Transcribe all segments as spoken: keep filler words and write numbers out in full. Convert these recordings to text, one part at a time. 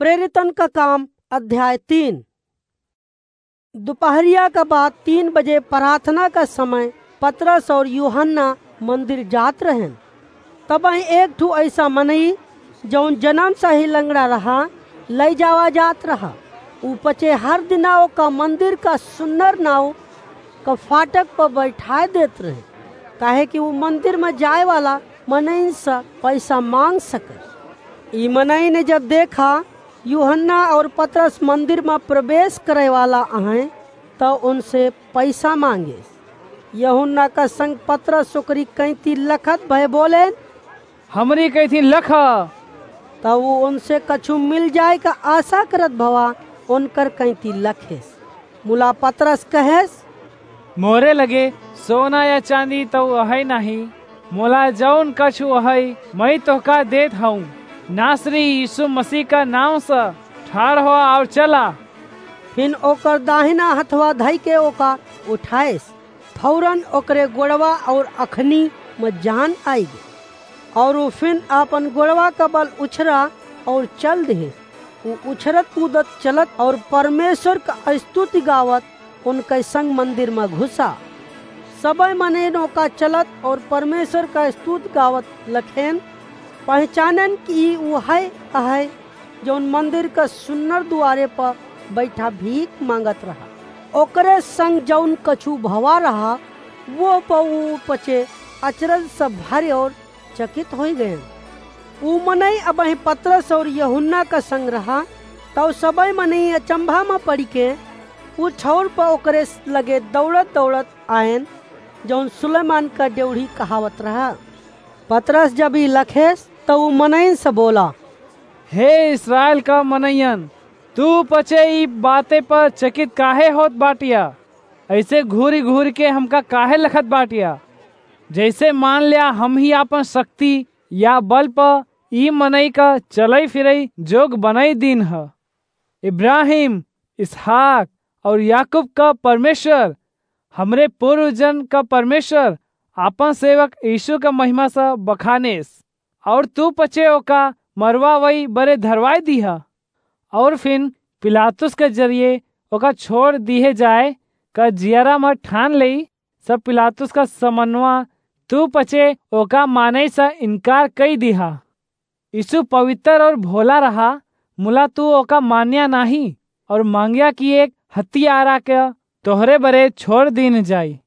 प्रेरितन का काम, अध्याय तीन। दोपहरिया का बाद तीन बजे प्रार्थना का समय पतरस और यूहन्ना मंदिर जात रहेन। तबहीं एक ठू ऐसा मनई, जौन जनम से ही लंगड़ा रहा, लई जावा जात रहा। ऊ पचे हर दिना ओका मंदिर का सुन्नर नाव का फाटक पर बैठाए देत रहे, काहे कि ऊ मंदिर में जाए वाला मनइन से पैसा मांग सके। ई मनई ने जब देखा यूहन्ना और पतरस मंदिर में प्रवेश करे वाला अहैं, त उनसे पैसा मांगे। यूहन्ना का संग पतरस ओकरी कैंती लखत भय बोलेन, "हमरी कैंती लख।" त ऊ उनसे कछु मिल जाए का आशा करत भवा उनकर कैंती लखेस। मुला पतरस कहेस, "मोरे लगे सोना या चांदी तउ अहै नाहीं, मोला जौन कछु अहै, मई तोहका देत हऊँ। नासरी यीशु मसीह का नाव से ठाड़ होआ और चला।" फिन ओकर दाहिना हथवा धइ के ओका उठाएस। फौरन ओकरे गोड़वा और अखनी में जान आइ गई, और ऊ फिन आपन गोड़वा का बल उछरा और चल दिहे। ऊ उछरत कूदत चलत और परमेश्वर का स्तुति गावत उनके संग मंदिर में घुसा। सबइ मनइन ओका चलत और परमेश्वर का स्तुति गावत लखेन, पहचानेन कि ई उहइ अहइ, जौन मंदिर का सुन्नर दुआरे पर बैठा भीख मांगत रहा। ओकरे संग जौन कछु भवा रहा, वो पर ऊ पचे अचरज से भरे और चकित होइ गएन। ऊ मनई अबहीं पतरस और यूहन्ना का संग रहा, तब सबइ मनई अचंभा में पड़िके ऊ ठौर पर ओकरे लगे दौड़त दौड़त आएन, जौन सुलेमान का ड्योढ़ी कहावत रहा। पतरस जब ई लखेस, तब ऊ मनइन से बोला, "हे इस्राएल का मनइयन, तू पचे ई बाते पर चकित काहे होत बाटिया? ऐसे घूरि घूरि के हमका काहे लखत बाटिया? जैसे मान ल्या हम ही आपन शक्ति या बल पर ई मनई का चलई फिरई जोग बनई दीन ह। इब्राहिम, इसहाक और याकूब का परमेश्वर, हमरे पूर्वजन का परमेश्वर आपन सेवक यीशु का महिमा से बखानेस, और तू पचे ओका मरवावई बरे धरवाई दीहा।" और फिन पिलातुस के जरिए ओका छोड़ दिहे जाए का जियरा में ठान लेई, सब पिलातुस का समनवा तू पचे ओका माने से इनकार कई दिहा। यीशु पवित्र और भोला रहा, मुला तू ओका मान्या नाहीं और मांग्या कि एक हत्यारा के तोहरे बरे छोड़ दीन जाई।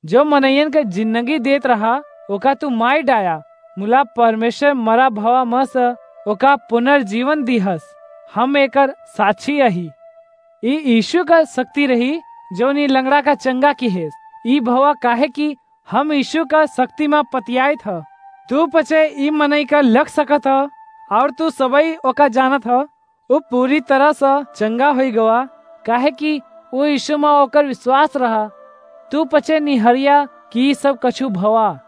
जो मनइयन के जिंदगी देत रहा, ओका तू माई डाया, मुला परमेश्वर मरा भवा में से ओका पुनर्जीवन दिहस। हम एकर साक्षी अही। ई यीशु का शक्ति रही, जौन ई लंगड़ा का चंगा किहेस। ई भवा काहे कि हम यीशु का शक्ति में पतियाइत ह। तू पचे ई मनई का लख सकत ह, और तू सबई ओका जानत ह। ऊ पूरी तरह से चंगा होई गवा, काहे कि ऊ यीशु में ओकर विश्वास रहा। तू पचे निहरिया कि ई सब कछु भवा।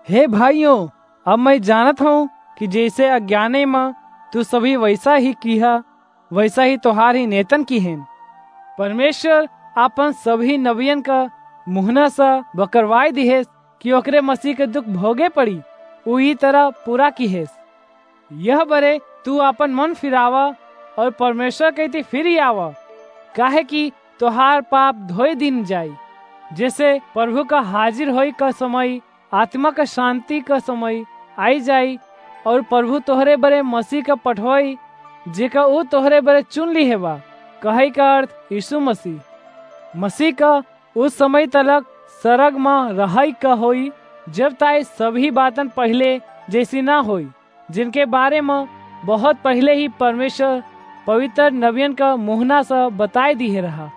हे भाइयों, अब मैं जानत हूँ कि जैसे अज्ञाने में तू सभी वैसा ही किहा, वैसा ही तोहार ही नेतन किहेन। परमेश्वर आपन सभी नबियन का मुहना से बकरवाई दिहेस कि ओकरे मसीह के दुख भोगे पड़ी, ऊ ई तरह पूरा किहेस। यह बरे तू आपन मन फिरावा और परमेश्वर के इति फिरी आवा, काहे कि तोहार पाप धोई दिन जाई। जैसे प्रभु का हाजिर होई का समय, आत्मा का शांति का समय आई जाई, और प्रभु तोहरे बरे मसीह का पठवाई, जेका ऊ तोहरे बरे चुन लिहे बा, कहई का अर्थ यीशु मसीह। मसीह का उस समय तलक सरग में रहई का होई, जब ताई सभी बातन पहले जैसी ना होई, जिनके बारे में बहुत पहले ही परमेश्वर पवित्र नबियन का मुहना से बताए दिहे रहा।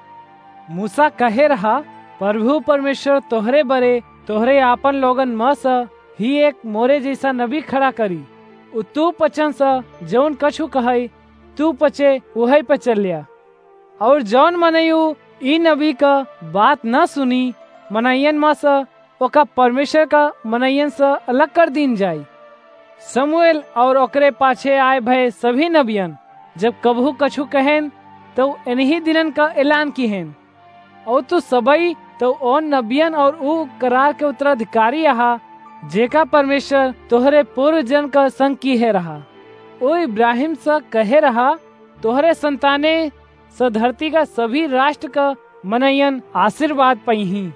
मूसा कहे रहा, "प्रभु परमेश्वर तोहरे बरे, तोहरे आपन लोगन में से ही एक मोरे जैसा नबी खड़ा करी। उ तू पचन से जौन कछु कहई, तू पचे उहई पे चल्या।" और जौन मनई ऊ ई नबी का बात न सुनी, मनइयन में से ओका परमेश्वर का मनइयन से अलग कर दीन जाई। शमूएल और ओकरे पाछे आए भए सभी नबियन जब कबहू कछु कहेन, तो इन्हीं दिनन का ऐलान किहेन। और तू सबई तो ओन नबियन और ऊ करार के उत्तराधिकारी अहा, जेका परमेश्वर तोहरे पूर्वजन का संग किहे रहा। ऊ इब्राहिम से कहे रहा, तोहरे संताने स धरती का सभी राष्ट्र का मनइयन आशीर्वाद पइहीं।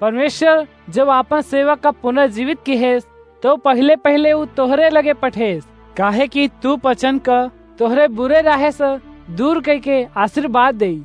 परमेश्वर जब आपन सेवक का पुनर्जीवित किहेस, तो पहिले पहिले उ तोहरे लगे पठेस, काहे कि तू पचन क तोहरे बुरे राहे से दूर कइके आशीर्वाद देई।